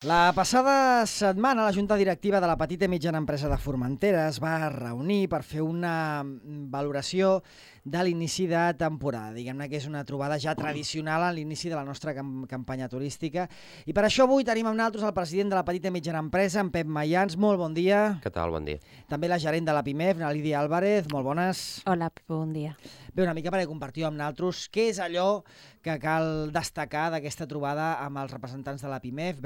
La passada setmana la Junta Directiva de la Petita i Mitjana Empresa de Formentera es va reunir per fer una valoració de l'inici de temporada. Diguem-ne que és una trobada ja tradicional a l'inici de la nostra campanya turística. I per això avui tenim amb nosaltres el president de la Petita i Mitjana Empresa, en Pep Mayans. Molt bon dia. Què tal? Bon dia. També la gerent de la PIMEF, na Lídia Álvarez. Molt bones. Hola, Pep, bon dia. Bé, una mica perquè compartiu amb nosaltres què és allò que cal destacar d'aquesta trobada amb els representants de la PIMEF.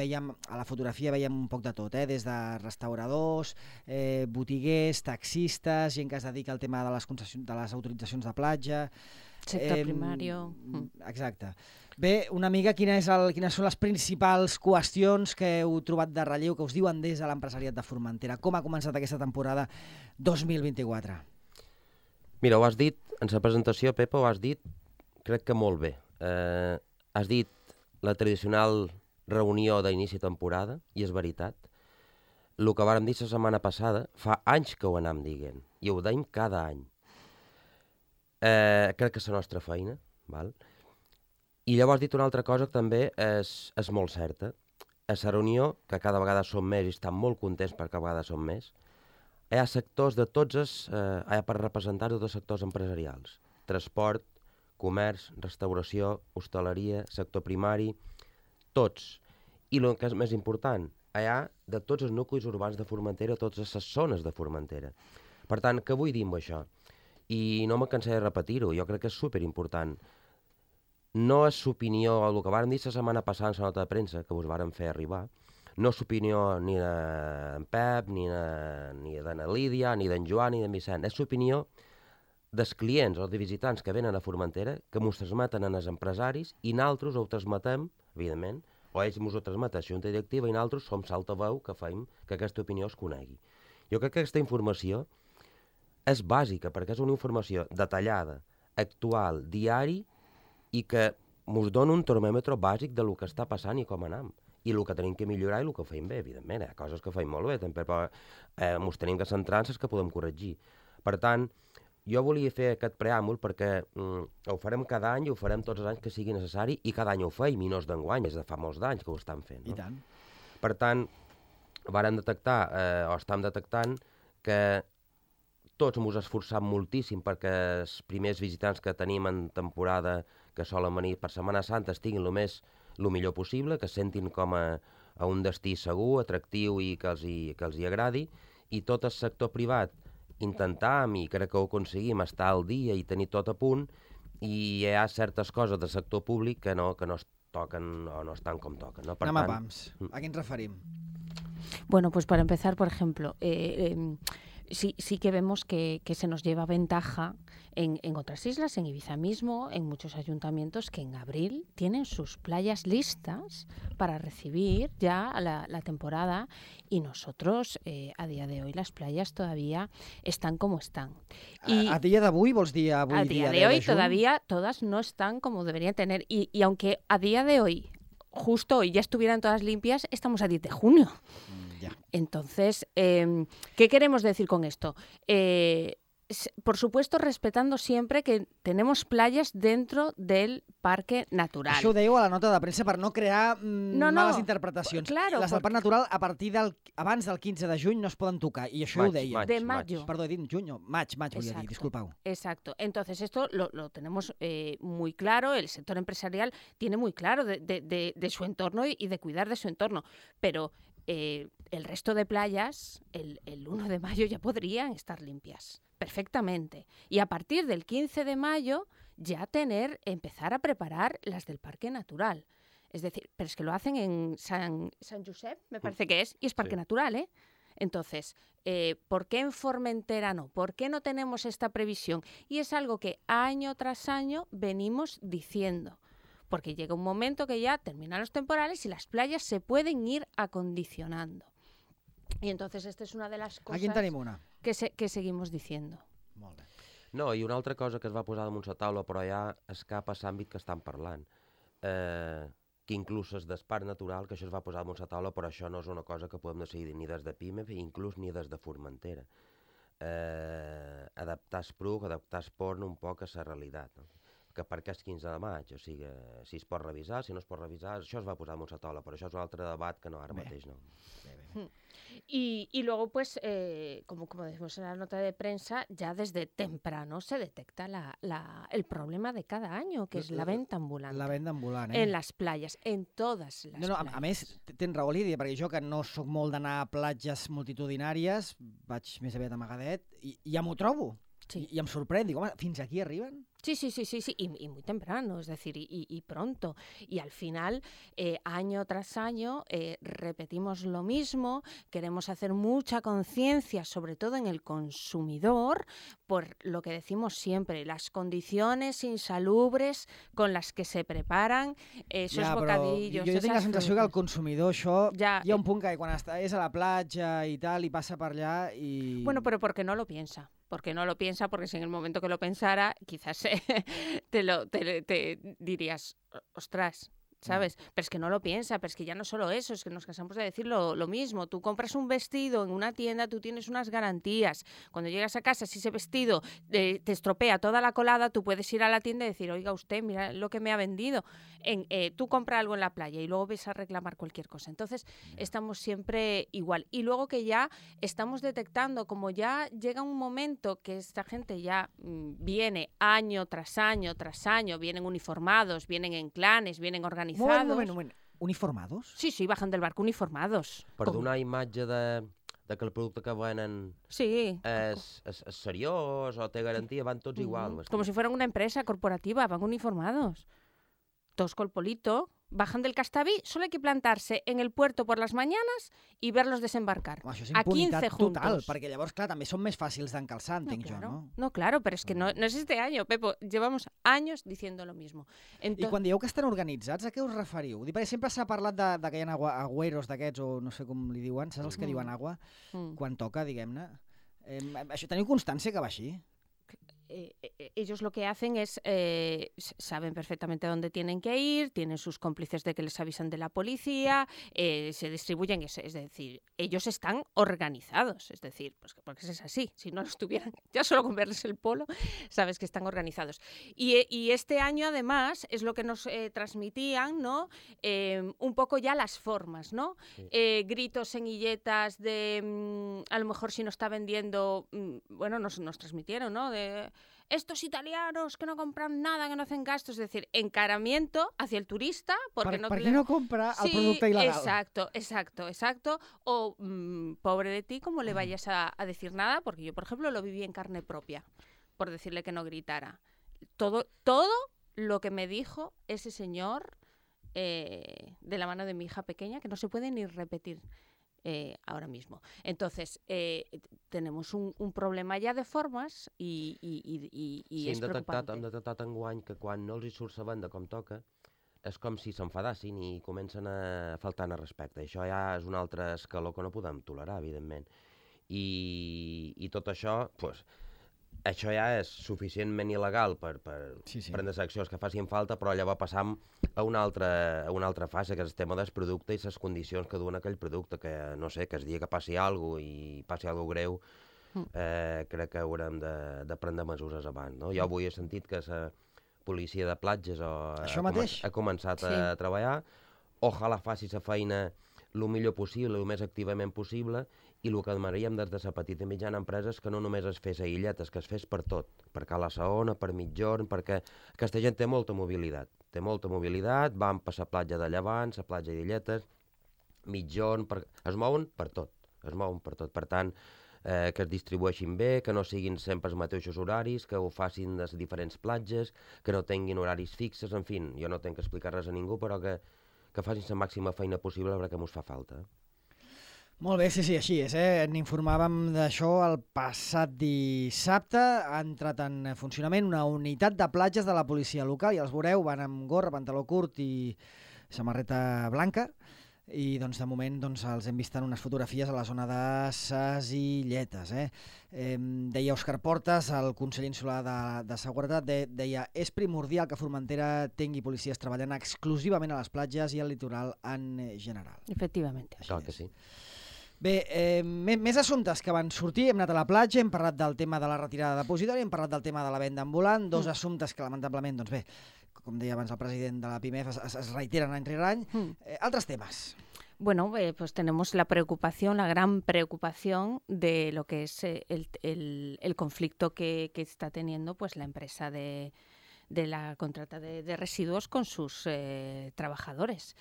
A la fotografia veiem un poc de tot, des de restauradors, botiguers, taxistes, gent que es dedica al tema de les autoritzacions de platja. Sector primari. Exacte. Bé, una mica quines són les principals qüestions que heu trobat de relleu, que us diuen des de l'empresariat de Formentera. Com ha començat aquesta temporada 2024? Mira, ho has dit, en la presentació, Pepa, ho has dit, crec que molt bé. Has dit la tradicional reunió d'inici de temporada, i és veritat. El que vàrem dir la setmana passada, fa anys que ho anàvem dient, i ho deim cada any. Crec que és la nostra feina, val? I llavors has dit una altra cosa que també és molt certa. A la reunió, que cada vegada som més i estan molt contents perquè cada vegada som més, hi ha sectors de tots hi ha per representar de tots els sectors empresarials. Transport, comerç, restauració, hostaleria, sector primari, tots. I el que és més important, hi ha de tots els nuclis urbans de Formentera, totes les zones de Formentera. Per tant, què vull dir amb això? I no me cansaré de repetir-ho, jo crec que és superimportant. No és l'opinió, el que vàrem dir la setmana passada en la nota de premsa, que us vàrem fer arribar, no és l'opinió ni d'en Pep, ni d'en Lídia, ni d'en Joan, ni d'en Vicent. És l'opinió dels clients o de visitants que venen a Formentera, que ens transmeten als empresaris i nosaltres ho transmetem, evidentment, o ells ens ho transmeten a la Junta Directiva i nosaltres som l'altaveu que fem que aquesta opinió es conegui. Jo crec que aquesta informació és bàsica perquè és una informació detallada, actual, diari i que ens dona un termòmetre bàsic de lo que està passant i com anem. I el que tenim que millorar i el que fem bé, evidentment. Hi ha coses que fem molt bé, també, però ens tenim que centrar en les que podem corregir. Per tant, jo volia fer aquest preàmbul perquè ho farem cada any i ho farem tots els anys que sigui necessari i cada any ho feim i no és d'enguany, és de fa molts d'anys que ho estan fent. No? I tant. Per tant, vàrem detectar, o estem detectant, que tots ens esforçam moltíssim perquè els primers visitants que tenim en temporada que solen venir per Setmana Santa estiguin el millor possible, que es sentin com a un destí segur, atractiu i que els hi agradi, i tot el sector privat intentam, i crec que ho aconseguim, estar al dia i tenir tot a punt, i hi ha certes coses del sector públic que no es toquen o no estan com toquen. No? Anem a pams. A què ens referim? Bueno, pues para empezar, por ejemplo, sí que vemos que se nos lleva ventaja en otras islas, en Ibiza mismo, en muchos ayuntamientos que en abril tienen sus playas listas para recibir ya la temporada y nosotros a día de hoy las playas todavía están como están. Y a día d'avui vols dir avui a día de hoy todavía todas no están como deberían tener y aunque a día de hoy justo hoy ya estuvieran todas limpias, estamos a 10 de junio. Entonces, ¿qué queremos decir con esto? Por supuesto, respetando siempre que tenemos playas dentro del parque natural. Això ho dèieu a la nota de premsa per no crear males interpretacions. Claro, les del parc natural abans del 15 de juny no es poden tocar, i això ho deia. De mayo. Perdó, he dit juny, maig volia dir, disculpeu. Exacto. Entonces, esto lo tenemos muy claro, el sector empresarial tiene muy claro de su entorno y de cuidar de su entorno, pero el resto de playas, el 1 de mayo ya podrían estar limpias, perfectamente. Y a partir del 15 de mayo ya empezar a preparar las del Parque Natural. Es decir, pero es que lo hacen en San Josep, me parece que es, y es Parque Natural, ¿eh? Entonces, ¿por qué en Formentera no? ¿Por qué no tenemos esta previsión? Y es algo que año tras año venimos diciendo. Porque llega un momento que ya terminan los temporales y las playas se pueden ir acondicionando. Y entonces esta es una de las cosas que seguimos diciendo. Molt bé. No, i una altra cosa que es va posar damunt la taula, però ja escapa l'àmbit que estan parlant, que inclús és del parc natural, que això es va posar damunt la taula, però això no és una cosa que podem decidir ni des de PIMEF, inclús ni des de Formentera. Adaptar el PRUC, adaptar el PORN un poc a la realitat. No? que per què és 15 de maig, o sigui, si es pot revisar, si no es pot revisar, això es va posar damunt la taula, però això és un altre debat que no ara mateix no. Y luego, pues, como decimos en la nota de prensa, ya desde temprano se detecta el problema de cada año, que es la venta ambulante. La venda ambulant, En las playas, en todas las No, playas. a més, tens raó, Lídia, perquè jo que no sóc molt d'anar a platges multitudinàries, vaig més aviat a Magadet, i ja m'ho trobo. Sí. I em sorprèn, dic, home, fins aquí arriben? Sí, y muy temprano, es decir, y pronto. Y al final, año tras año, repetimos lo mismo, queremos hacer mucha conciencia, sobre todo en el consumidor, por lo que decimos siempre, las condiciones insalubres con las que se preparan esos bocadillos. Jo tinc la sensació que el consumidor això... Ja, hi ha un punt que quan és a la platja i tal, i passa per allà i... Bueno, pero porque no lo piensa. Porque no lo piensa, porque si en el momento que lo pensara, quizás te dirías, ostras, ¿sabes? Pero es que no lo piensa, pero es que ya no solo eso, es que nos cansamos de decir lo mismo. Tú compras un vestido en una tienda, tú tienes unas garantías. Cuando llegas a casa, si ese vestido te estropea toda la colada, tú puedes ir a la tienda y decir, oiga usted, mira lo que me ha vendido. Tú compras algo en la playa y luego ves a reclamar cualquier cosa. Entonces, estamos siempre igual. Y luego que ya estamos detectando, como ya llega un momento que esta gente ya viene año tras año tras año, vienen uniformados, vienen en clanes, vienen organizados. Un moment. Uniformados? Sí, bajan del barco uniformados. Per donar imatge de que el producte que venen Sí. és seriós o té garantia, van tots igual. Como si fueran una empresa corporativa, van uniformados. Todos con polito, bajan del Castaví, solo hay que plantarse en el puerto por las mañanas y verlos desembarcar. Això és a 15 impunitat juntos. total, perquè llavors, clar, també són més fàcils d'encalçar, entenc jo, no? No, claro, pero es que no es este año, Pepo. Llevamos años diciendo lo mismo. I quan dieu que estan organitzats, a què us referiu? Perquè sempre s'ha parlat de que hi ha agüeros d'aquests, o no sé com li diuen, saps els que diuen agua? Quan toca, diguem-ne. Això teniu constància que va així? Ellos lo que hacen es, saben perfectamente dónde tienen que ir, tienen sus cómplices de que les avisan de la policía, se distribuyen, es decir, ellos están organizados, es decir, pues porque es así, si no lo estuvieran, ya solo con verles el polo, sabes que están organizados. Y este año, además, es lo que nos transmitían, ¿no? Un poco ya las formas, ¿no? Sí. Gritos, señilletas de, a lo mejor si no está vendiendo, bueno, nos transmitieron, ¿no? De estos italianos que no compran nada, que no hacen gastos, es decir, encaramiento hacia el turista porque ¿Por qué no compra el producto ilegal? Exacto. O pobre de ti, como le vayas a decir nada, porque yo, por ejemplo, lo viví en carne propia, por decirle que no gritara. Todo lo que me dijo ese señor de la mano de mi hija pequeña, que no se puede ni repetir. Ahora mismo. Entonces, tenemos un problema ja de formes i és preocupant. Hem detectat enguany que quan no els hi surt la venda com toca, és com si s'enfadassin i comencen a faltar al respecte. Això ja és un altre escaló que no podem tolerar, evidentment. I tot això, doncs, això ja és suficientment il·legal per prendre les accions que facin falta, però llavors passam a una altra fase, que és el tema del producte i les condicions que duen aquell producte, que no sé, que el dia que passi alguna cosa i passi alguna cosa greu, crec que haurem de prendre mesures abans. No? Jo avui he sentit que la policia de platges ha començat a treballar, ojalà faci la feina el millor possible, el més activament possible, i el que demanaríem des de la petita i mitjana empresa és que no només es fes a illetes, que es fes per tot, per Cala Saona, per mitjorn, perquè aquesta gent té molta mobilitat, van per la platja de Llevant, la platja d'Illetes, mitjorn, es mouen per tot, per tant, que es distribueixin bé, que no siguin sempre els mateixos horaris, que ho facin les diferents platges, que no tinguin horaris fixes, en fi, jo no tinc que explicar res a ningú, però que facin la màxima feina possible perquè mos fa falta. Molt bé, sí, així és. N'informàvem d'això el passat dissabte. Ha entrat en funcionament una unitat de platges de la policia local i els veureu, van amb gorra, pantaló curt i samarreta blanca. I doncs, de moment els hem vist en unes fotografies a la zona de Ses Illetes. Deia Òscar Portas, el conseller insular de Seguretat, deia és primordial que Formentera tingui policies treballant exclusivament a les platges i al litoral en general. Efectivament. Clar que sí. Bé, més assumptes que van sortir. Hem anat a la platja, hem parlat del tema de la retirada depositori, hem parlat del tema de la venda ambulant, dos assumptes que lamentablement, doncs bé, com deia abans el president de la PIMEF, es reiteren any rere any. Altres temes. Bueno, pues tenemos la preocupación, la gran preocupación de lo que es el conflicto que está teniendo pues la empresa de la contrata de residuos con sus trabajadores.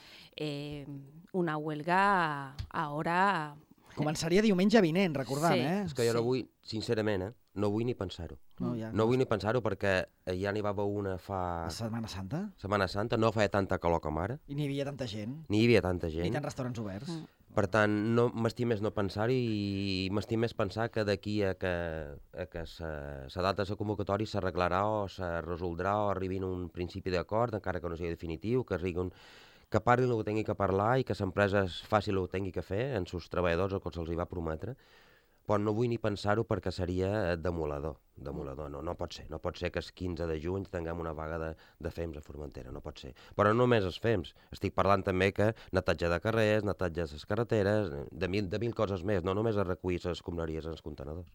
Una huelga ahora... Començaria diumenge vinent, recordant, Sí. eh? És que jo no vull, sincerament, no vull ni pensar-ho. Ja, No vull ni pensar-ho perquè ja n'hi va haver una fa... La Setmana Santa? Setmana Santa, no feia tanta calor com ara, I n'hi havia tanta gent. ni hi havia tanta Ni gent. tants restaurants oberts. Per tant, no m'estim més no pensar-hi i m'estim més pensar que d'aquí a que la data de la convocatòria s'arreglarà o se resoldrà o arribin a un principi d'acord, encara que no sigui definitiu, que parlin el que tingui que parlar i que l'empresa faci el que tingui que fer en sus treballadors el que se'ls va prometre, però no vull ni pensar-ho perquè seria demolador. No pot ser. No pot ser que el 15 de juny tinguem una vaga de FEMS a Formentera, no pot ser. Però no només els FEMS, estic parlant també que netatge de carrers, netatge de les carreteres, de mil coses més, no només a recollir les escombraries en els contenedors.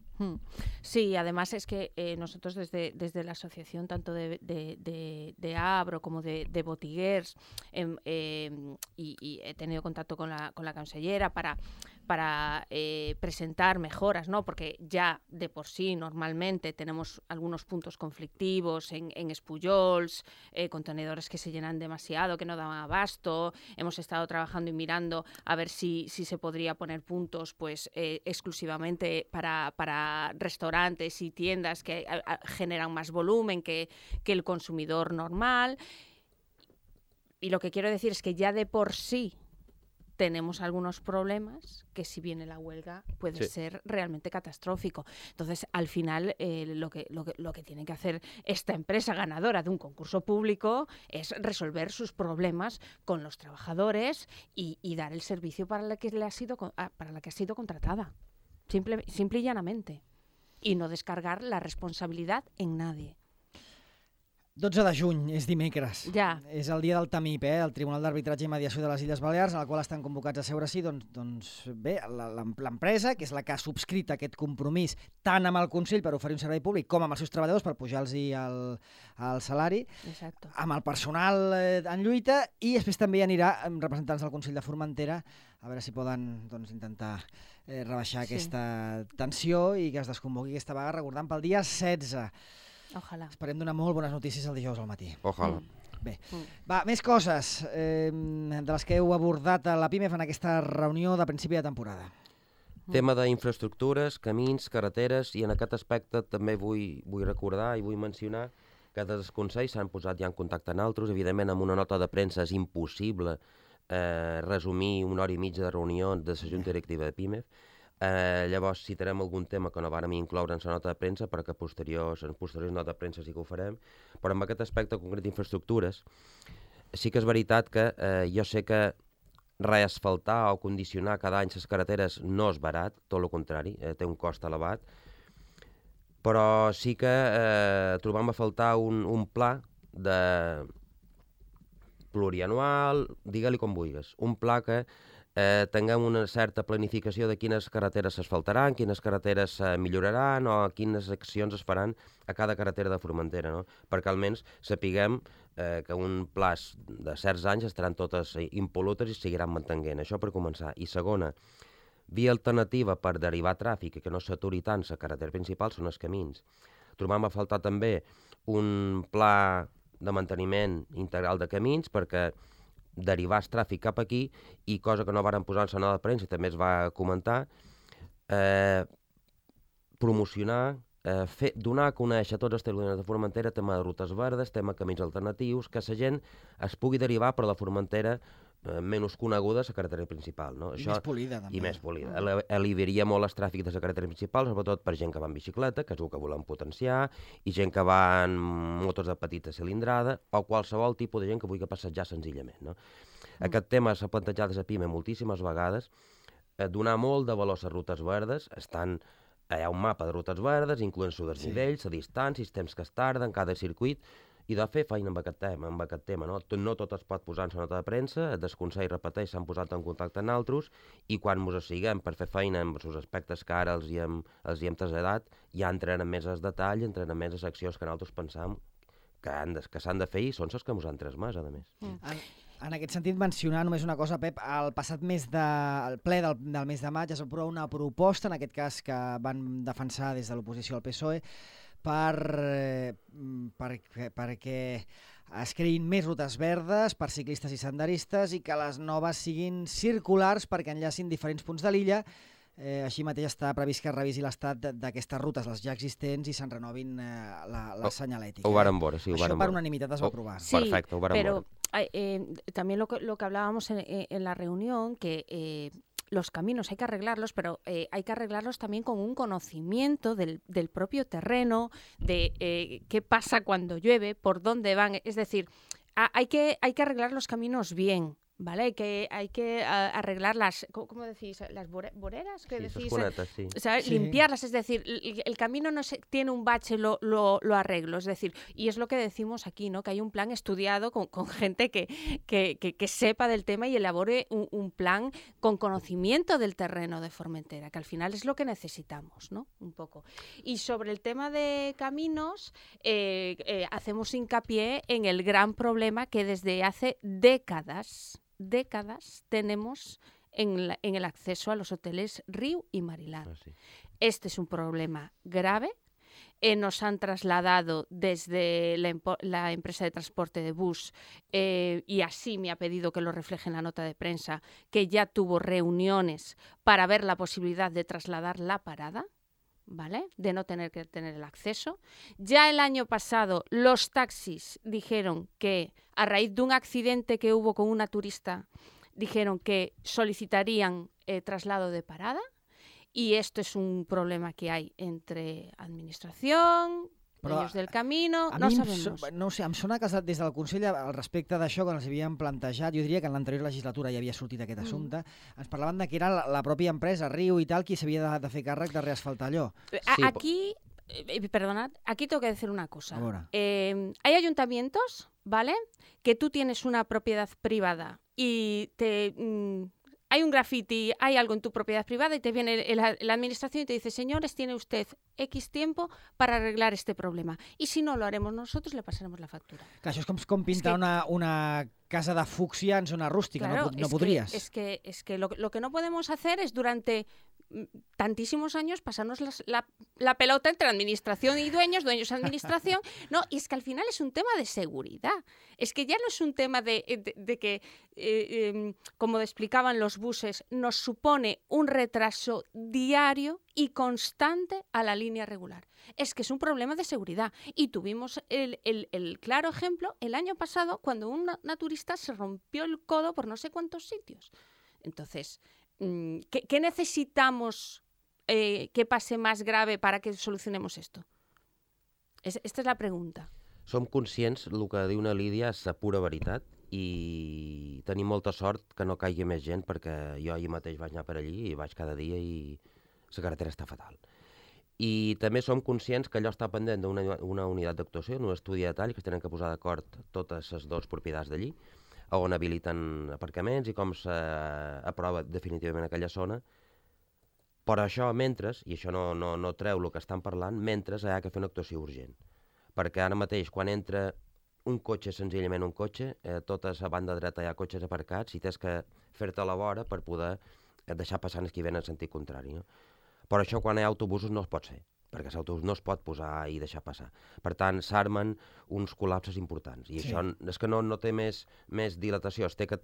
Sí, además es que nosotros desde la asociación, tanto de Abro como de Botiguers, y he tenido contacto con la consellera para presentar mejoras, ¿no? Porque ya de por sí normalmente tenemos algunos puntos conflictivos en Espullols, contenedores que se llenan demasiado, que no dan abasto. Hemos estado trabajando y mirando a ver si se podría poner puntos pues exclusivamente para restaurantes y tiendas que generan más volumen que el consumidor normal. Y lo que quiero decir es que ya de por sí tenemos algunos problemas que si viene la huelga puede ser realmente catastrófico. Entonces, al final, lo que tiene que hacer esta empresa ganadora de un concurso público es resolver sus problemas con los trabajadores y dar el servicio para la que ha sido contratada. Simple y llanamente. Y no descargar la responsabilidad en nadie. 12 de juny, és dimecres. Ja. És el dia del TAMIP, el Tribunal d'Arbitratge i Mediació de les Illes Balears, en el qual estan convocats a seure-s'hi, doncs bé, l'empresa, que és la que ha subscrit aquest compromís tant amb el Consell per oferir un servei públic com amb els seus treballadors per pujar-los el salari, Exacto. amb el personal en lluita, i després també hi anirà amb representants del Consell de Formentera a veure si poden intentar rebaixar aquesta tensió i que es desconvoqui aquesta vaga, recordant pel dia 16. Ojalà. Esperem donar molt bones notícies el dijous al matí. Ojalà. Bé, va, més coses de les que heu abordat a la PIMEF en aquesta reunió de principi de temporada. Tema d'infraestructures, camins, carreteres, i en aquest aspecte també vull recordar i vull mencionar que des dels consells s'han posat ja en contacte amb altres. Evidentment, amb una nota de premsa és impossible resumir una hora i mitja de reunió de la Junta Directiva de PIMEF. Llavors citarem algun tema que no vàrem incloure en la nota de premsa, però que en posteriors notes de premsa sí que ho farem. Però en aquest aspecte concret d'infraestructures, sí que és veritat que jo sé que reasfaltar o condicionar cada any les carreteres no és barat, tot el contrari, té un cost elevat, però sí que trobam a faltar un pla plurianual, digue-li com vulguis, un pla que tinguem una certa planificació de quines carreteres s'asfaltaran, quines carreteres milloraran o quines accions es faran a cada carretera de Formentera, no? Perquè almenys sapiguem que un plaç de certs anys estaran totes impol·lutes i seguiran mantenint. Això per començar. I segona, via alternativa per derivar tràfic i que no s'aturi tant la carretera principal són els camins. Trobam a faltar també un pla de manteniment integral de camins perquè derivar el tràfic cap aquí i, cosa que no varen posar en la nota de premsa i també es va comentar, promocionar, donar a conèixer a tots els territoris de Formentera tema de rutes verdes, tema de camins alternatius, que la gent es pugui derivar per la Formentera menys coneguda a la carretera principal. No? I més polida, també. I més polida. Aliviaria molt el tràfic de la carretera principal, sobretot per gent que va en bicicleta, que és el que volem potenciar, i gent que va en motos de petita cilindrada, o qualsevol tipus de gent que vulgui passejar senzillament. No? Aquest tema s'ha plantejat a PIME moltíssimes vegades, donar molt de valor a les rutes verdes, hi ha un mapa de rutes verdes, incloent-se desnivells, la distància, els temps que es tarden, cada circuit, i de fer feina amb aquest tema, no? No tot es pot posar en la nota de premsa, el desconsell repeteix, s'han posat en contacte amb altres, i quan ens siguem per fer feina amb els aspectes que ara els hi hem traslladat, ja entrem més al detall, entrem més a seccions que nosaltres pensam que s'han de fer i són les que ens han transmès, a més. En aquest sentit, mencionar només una cosa, Pep, el passat el ple del mes de maig es va aprovar una proposta, en aquest cas que van defensar des de l'oposició al PSOE, perquè es creïn més rutes verdes per ciclistes i senderistes i que les noves siguin circulars perquè enllacin diferents punts de l'illa. Així mateix està previst que es revisi l'estat d'aquestes rutes, les ja existents, i se'n renovin la senyalètica. Ho vàrem veure, sí, ho Això vàrem per veure. unanimitat es va aprovar. Sí, perfecte, ho vàrem pero veure. también lo que hablábamos en la reunión, que los caminos hay que arreglarlos, pero hay que arreglarlos también con un conocimiento del propio terreno, de qué pasa cuando llueve, por dónde van. Es decir, hay que arreglar los caminos bien, ¿vale? Hay que arreglar las, ¿cómo decís? Las boreras, ¿qué Sí, decís? esas cunetas, sí. O sea, Sí. limpiarlas, es decir, el camino no tiene un bache, lo arreglo, es decir, y es lo que decimos aquí, ¿no? Que hay un plan estudiado con gente que sepa del tema y elabore un plan con conocimiento del terreno de Formentera, que al final es lo que necesitamos, ¿no? Un poco. Y sobre el tema de caminos, hacemos hincapié en el gran problema que desde hace décadas tenemos en el acceso a los hoteles Riu y Marilán. Sí. Este es un problema grave. Nos han trasladado desde la empresa de transporte de bus y así me ha pedido que lo refleje en la nota de prensa, que ya tuvo reuniones para ver la posibilidad de trasladar la parada, ¿vale? De no tener que tener el acceso. Ya el año pasado los taxis dijeron que a raíz de un accidente que hubo con una turista, dijeron que solicitarían traslado de parada, y esto es un problema que hay entre administración, dueños del camino, no sabemos. No ho sé, em sona que des del Consell al respecte d'això, quan els havíem plantejat, jo diria que en l'anterior legislatura ja havia sortit aquest assumpte, ens parlaven de que era la pròpia empresa, Riu i tal, qui s'havia de fer càrrec de reasfaltar allò. Sí, Aquí, perdonad, aquí tengo que decir una cosa. Ahora. Hay ayuntamientos, ¿vale? Que tú tienes una propiedad privada y hay un graffiti, hay algo en tu propiedad privada y te viene la administración y te dice, señores, tiene usted X tiempo para arreglar este problema. Y si no lo haremos nosotros, le pasaremos la factura. Que això és com pintar una casa de fúcsia en zona rústica, Claro, no podries. Es que lo que no podemos hacer es durante tantísimos años pasarnos la pelota entre administración y dueños y administración. No, y es que al final es un tema de seguridad. Es que ya no es un tema de que, como explicaban los buses, nos supone un retraso diario y constante a la línea regular. Es que es un problema de seguridad. Y tuvimos el claro ejemplo el año pasado cuando un naturista se rompió el codo por no sé cuántos sitios. Entonces, ¿qué necesitamos que pase más grave para que solucionemos esto? Esta es la pregunta. Som conscients, el que diu una Lídia és la pura veritat, i tenim molta sort que no caigui més gent, perquè jo ahir mateix vaig anar per allí i vaig cada dia i la carretera està fatal. I també som conscients que allò està pendent d'una unitat d'actuació, un estudi de detall, que es tenen que posar d'acord totes les dues propietats d'allí, on habiliten aparcaments i com s'aprova definitivament aquella zona. Però això, mentre, i això no treu el que estan parlant, mentre hi ha que fer una actuació urgent. Perquè ara mateix, quan entra un cotxe, senzillament un cotxe, tota la banda dreta hi ha cotxes aparcats i tens que fer-te a la vora per poder deixar passar els que venen en sentit contrari. No? Però això, quan hi ha autobusos, no es pot fer, perquè l'autobús no es pot posar i deixar passar. Per tant, s'armen uns col·lapses importants. I això és que no té més dilatació, es té que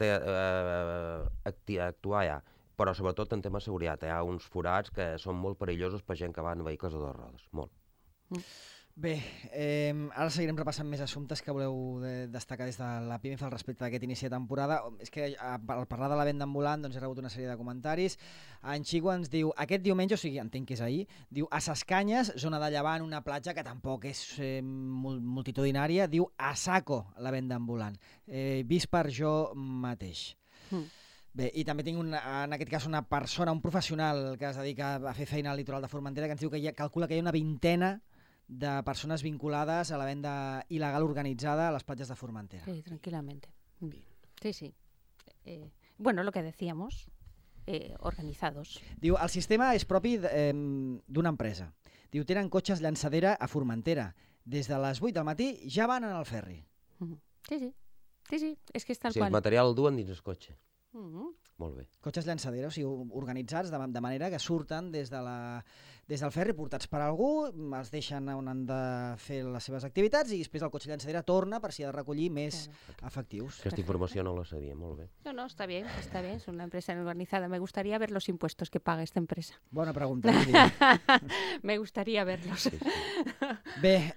actuar ja. Però sobretot en tema de seguretat. Hi ha uns forats que són molt perillosos per gent que va en vehicles de dues rodes. Molt. Bé, ara seguirem repassant més assumptes que voleu destacar des de la PIMEF al respecte d'aquest inici de temporada. És que al parlar de la venda ambulant doncs he rebut una sèrie de comentaris. En Xico ens diu, aquest diumenge, o sigui, entenc que és ahir, diu a Ses Canyes, zona de Llevant, una platja que tampoc és multitudinària, diu a saco la venda ambulant. Vist per jo mateix. Bé, i també tinc en aquest cas una persona, un professional que es dedica a fer feina al litoral de Formentera, que ens diu que calcula que hi ha una vintena de persones vinculades a la venda il·legal organitzada a les platges de Formentera. Sí, tranquilamente. Sí, sí. Bueno, lo que decíamos, organizados. Diu, el sistema és propi d'una empresa. Diu, tenen cotxes llançadera a Formentera. Des de les 8 del matí ja van en el ferri. Sí, sí. Sí, sí, és que és tal Sí, el qual. material el duen dins el cotxe. Molt bé. Cotxes llançadera, o sigui, organitzats de manera que surten des del ferri portats per algú, els deixen on han de fer les seves activitats i després el cotxe llançadera torna per si ha de recollir més efectius. Aquesta informació no la sabia, molt bé. No, está bien, es una empresa organizada. Me gustaría ver los impuestos que paga esta empresa. Bona pregunta. Me gustaría verlos. Sí, sí. Bé,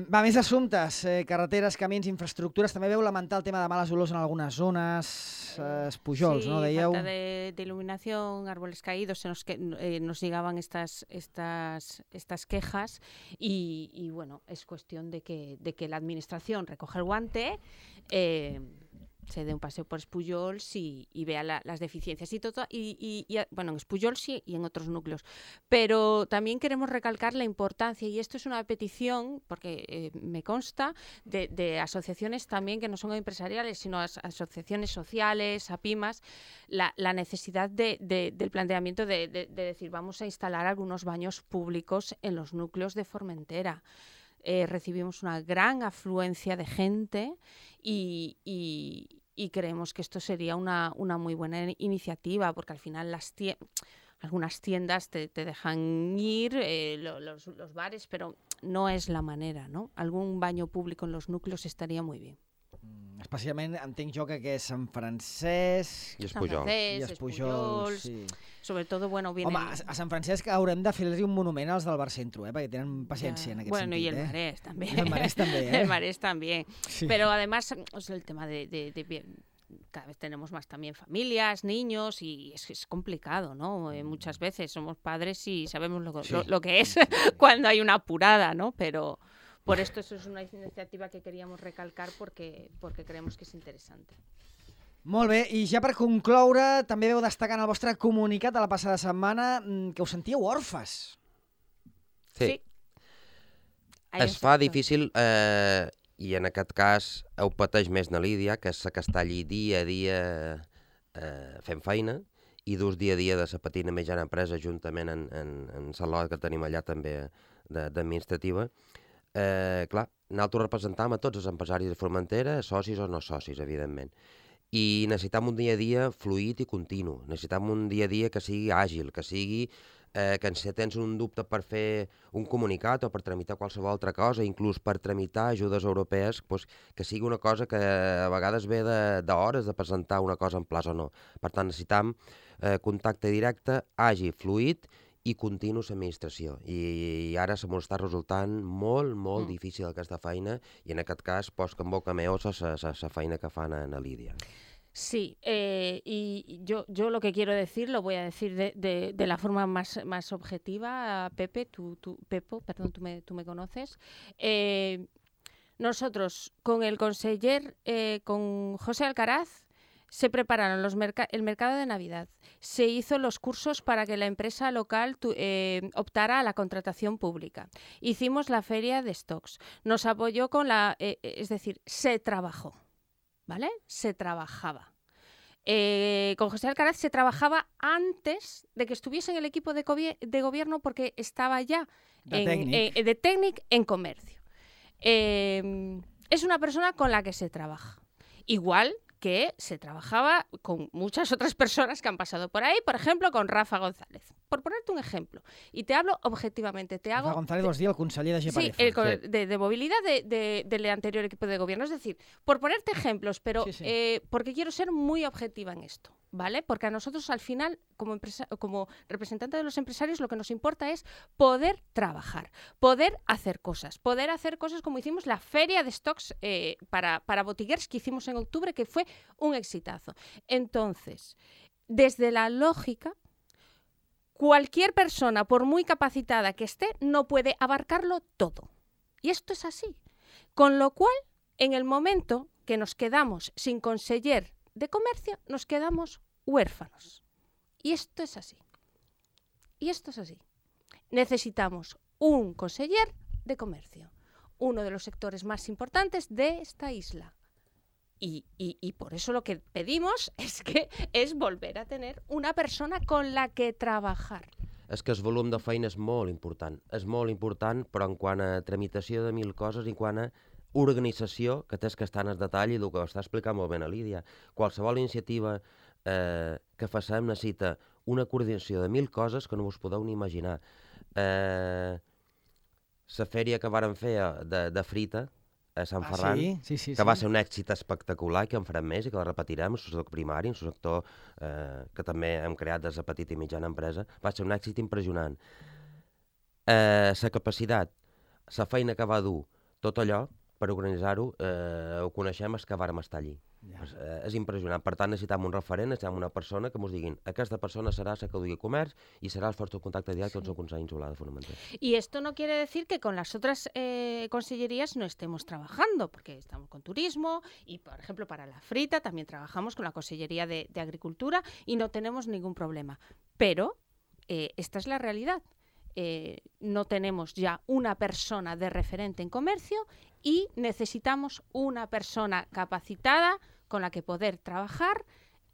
va, més assumptes. Carreteres, camins, infraestructures. També veu lamentar el tema de males olors en algunes zones, Pujols, sí, ¿no? Dèieu... falta de iluminación, árboles caídos, nos llegaban estas quejas y bueno, es cuestión de que la administración recoja el guante, se dé un paseo por Pujols y vea las deficiencias y bueno, en Pujols sí y en otros núcleos. Pero también queremos recalcar la importancia, y esto es una petición, porque me consta, de asociaciones también que no son empresariales, sino asociaciones sociales, APIMAS, la necesidad del planteamiento de decir, vamos a instalar algunos baños públicos en los núcleos de Formentera. Recibimos una gran afluencia de gente y creemos que esto sería una muy buena iniciativa, porque al final algunas tiendas te dejan ir, los bares, pero no es la manera, ¿no? Algún baño público en los núcleos estaría muy bien. Especialment entenc jo que és Sant Francesc I Sant Pujols. Francesc, i Pujols. Sí. Sobre todo, bueno, viene... Home, a Sant Francesc haurem de fer-li un monument als del Barcentro, perquè tenen paciència en aquest bueno, sentit. y el Marés también. Y el Marés también, El Marés también. Sí. Pero además, o sea, el tema cada vez tenemos más también familias, niños, y es complicado, ¿no? Muchas veces somos padres y sabemos lo que es cuando hay una apurada, ¿no? Pero por esto eso es una iniciativa que queríamos recalcar porque creemos que es interesante. Molt bé, i ja per concloure, també veu destacar en el vostre comunicat de la passada setmana que us sentíeu orfes. Sí. Es fa difícil, i en aquest cas ho pateix més na Lídia, que és la que està allí dia a dia fent feina, i dus dia a dia de la petita i mitjana empresa juntament en la lot que tenim allà també d'administrativa. Clar, nosaltres representam a tots els empresaris de Formentera, socis o no socis, evidentment. I necessitam un dia a dia fluid i continu. Necessitam un dia a dia que sigui àgil, que sigui que si tens un dubte per fer un comunicat o per tramitar qualsevol altra cosa, inclús per tramitar ajudes europees, doncs, que sigui una cosa que a vegades ve d'hores de presentar una cosa en plaç o no. Per tant, necessitam contacte directe, àgil, fluid i continu a l'administració. I ara se m'ho està resultant molt difícil aquesta feina, i en aquest cas poso en boca meva la feina que fan a Lídia. Sí, y yo lo que quiero decir lo voy a decir de la forma más objetiva. Pepe, Pepo, perdón, tú me conoces. Nosotros con el conseller, con José Alcaraz, se prepararon el mercado de Navidad. Se hizo los cursos para que la empresa local optara a la contratación pública. Hicimos la feria de stocks. Nos apoyó con es decir, se trabajó. ¿Vale? Se trabajaba. Con José Alcaraz se trabajaba antes de que estuviese en el equipo de gobierno, porque estaba ya de técnico en comercio. Es una persona con la que se trabaja. Igual que se trabajaba con muchas otras personas que han pasado por ahí, por ejemplo, con Rafa González. Por ponerte un ejemplo. Y te hablo objetivamente. Rafa González, vols dir el conseller de GPF. Sí, de movilidad del anterior equipo de gobierno. Es decir, por ponerte ejemplos, pero sí. Porque quiero ser muy objetiva en esto, ¿vale? Porque a nosotros al final, como representante de los empresarios, lo que nos importa es poder trabajar, poder hacer cosas como hicimos la feria de stocks para botiguers que hicimos en octubre, que fue un exitazo. Entonces, desde la lógica, cualquier persona, por muy capacitada que esté, no puede abarcarlo todo. Y esto es así. Con lo cual, en el momento que nos quedamos sin conseller de comercio, nos quedamos huérfanos. Y esto es así. Necesitamos un conseller de comercio, uno de los sectores más importantes de esta isla. Y por eso lo que pedimos es volver a tener una persona con la que trabajar. És que el volum de feina és molt important, però en quant a tramitació de 1000 coses i en quant a organització, que tens que estar en el detall i el que està explicant molt bé la Lídia. Qualsevol iniciativa que facem necessita una coordinació de 1000 coses que no us podeu ni imaginar. La fèria que vàrem fer de frita a Sant Ferran, que va ser un èxit espectacular, que en farem més i que la repetirem en el sector primari, en el sector que també hem creat des de petita i mitjana empresa, va ser un èxit impressionant. La capacitat, la feina que va dur tot allò, per organitzar-ho, ho coneixem els que vàrem estar allí. És impressionant. Per tant, necessitem un referent, necessitem una persona que ens diguin aquesta persona serà la que dugui comerç i serà el vostre contacte directe amb el Consell Insular de Formentera. Y esto no quiere decir que con las otras consellerías no estemos trabajando, porque estamos con turismo y, por ejemplo, para la frita también trabajamos con la Consellería de Agricultura y no tenemos ningún problema. Pero esta es la realidad. No tenemos ya una persona de referente en comercio y necesitamos una persona capacitada con la que poder trabajar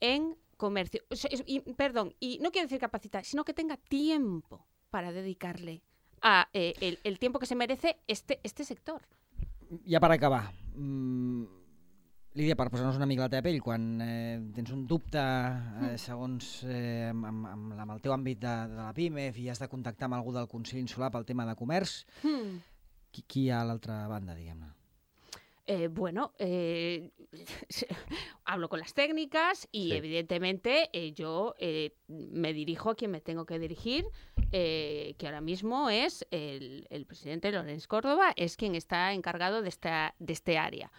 en comercio. Y no quiero decir capacitada, sino que tenga tiempo para dedicarle a el tiempo que se merece este sector. Ja per acabar, Lídia, per posar-nos una mica la teva pell, quan tens un dubte segons amb el teu àmbit de la PIMEF i has de contactar amb algú del Consell Insular pel tema de comerç, qui hi ha a l'altra banda, diguem-ne? Bueno, hablo con las técnicas y sí, evidentemente yo me dirijo a quien me tengo que dirigir, que ahora mismo es el presidente Lorenz Córdoba, es quien está encargado de este área.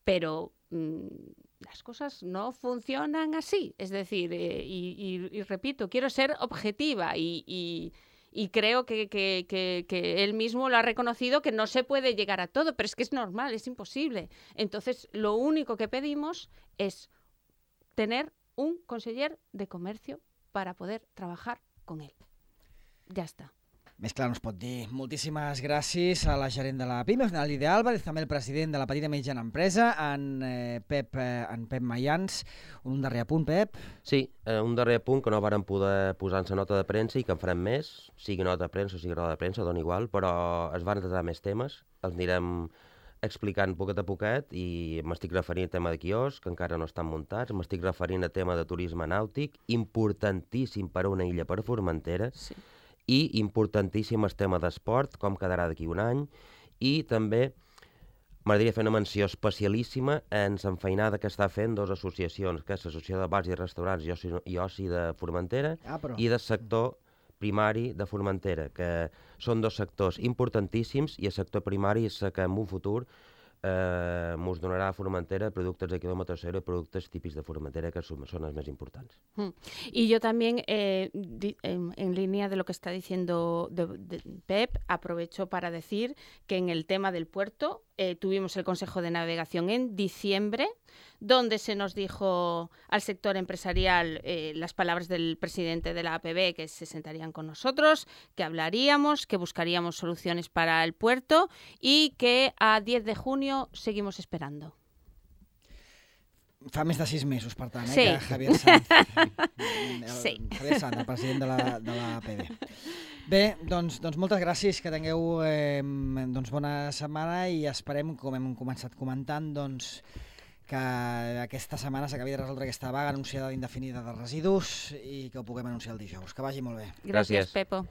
Pero las cosas no funcionan así. Es decir, y repito, quiero ser objetiva y creo que él mismo lo ha reconocido, que no se puede llegar a todo, pero es que es normal, es imposible. Entonces, lo único que pedimos es tener un conseller de comercio para poder trabajar con él. Ya está. Més clar no es pot dir. Moltíssimes gràcies a la gerent de la PIMEF, a Lídia Álvarez, també el president de la petita i mitjana empresa, en Pep Mayans. Un darrer apunt, Pep? Sí, un darrer apunt que no vàrem poder posar en la nota de premsa i que en farem més, sigui nota de premsa o sigui roda de premsa, dona igual, però es van tratar més temes, els anirem explicant poquet a poquet i m'estic referint al tema de quiosc, que encara no estan muntats, m'estic referint al tema de turisme nàutic, importantíssim per a una illa per Formentera, sí, i importantíssim el tema d'esport, com quedarà d'aquí un any, i també m'agradaria fer una menció especialíssima en l'enfeinada que està fent dues associacions, que és l'Associació de Bars i Restaurants i Oci de Formentera i del sector primari de Formentera, que són dos sectors importantíssims i el sector primari és el que en un futur ens donarà a Formentera productes de quilòmetre cero i productes típics de Formentera, que són els més importants. Y yo también, en línea de lo que está diciendo Pep, aprovecho para decir que en el tema del puerto tuvimos el Consejo de Navegación en diciembre, donde se nos dijo al sector empresarial las palabras del presidente de la APB, que se sentarían con nosotros, que hablaríamos, que buscaríamos soluciones para el puerto y que a 10 de junio seguimos esperando. Fa més de 6 mesos, per tant, sí, que Javier Sanz, sí, Javier Sanz, el president de la APB. Bé, doncs moltes gràcies, que tingueu bona setmana i esperem, com hem començat comentant, que aquesta setmana s'acabi de resoldre aquesta vaga anunciada indefinida de residus i que ho puguem anunciar el dijous. Que vagi molt bé. Gràcies, Pepo.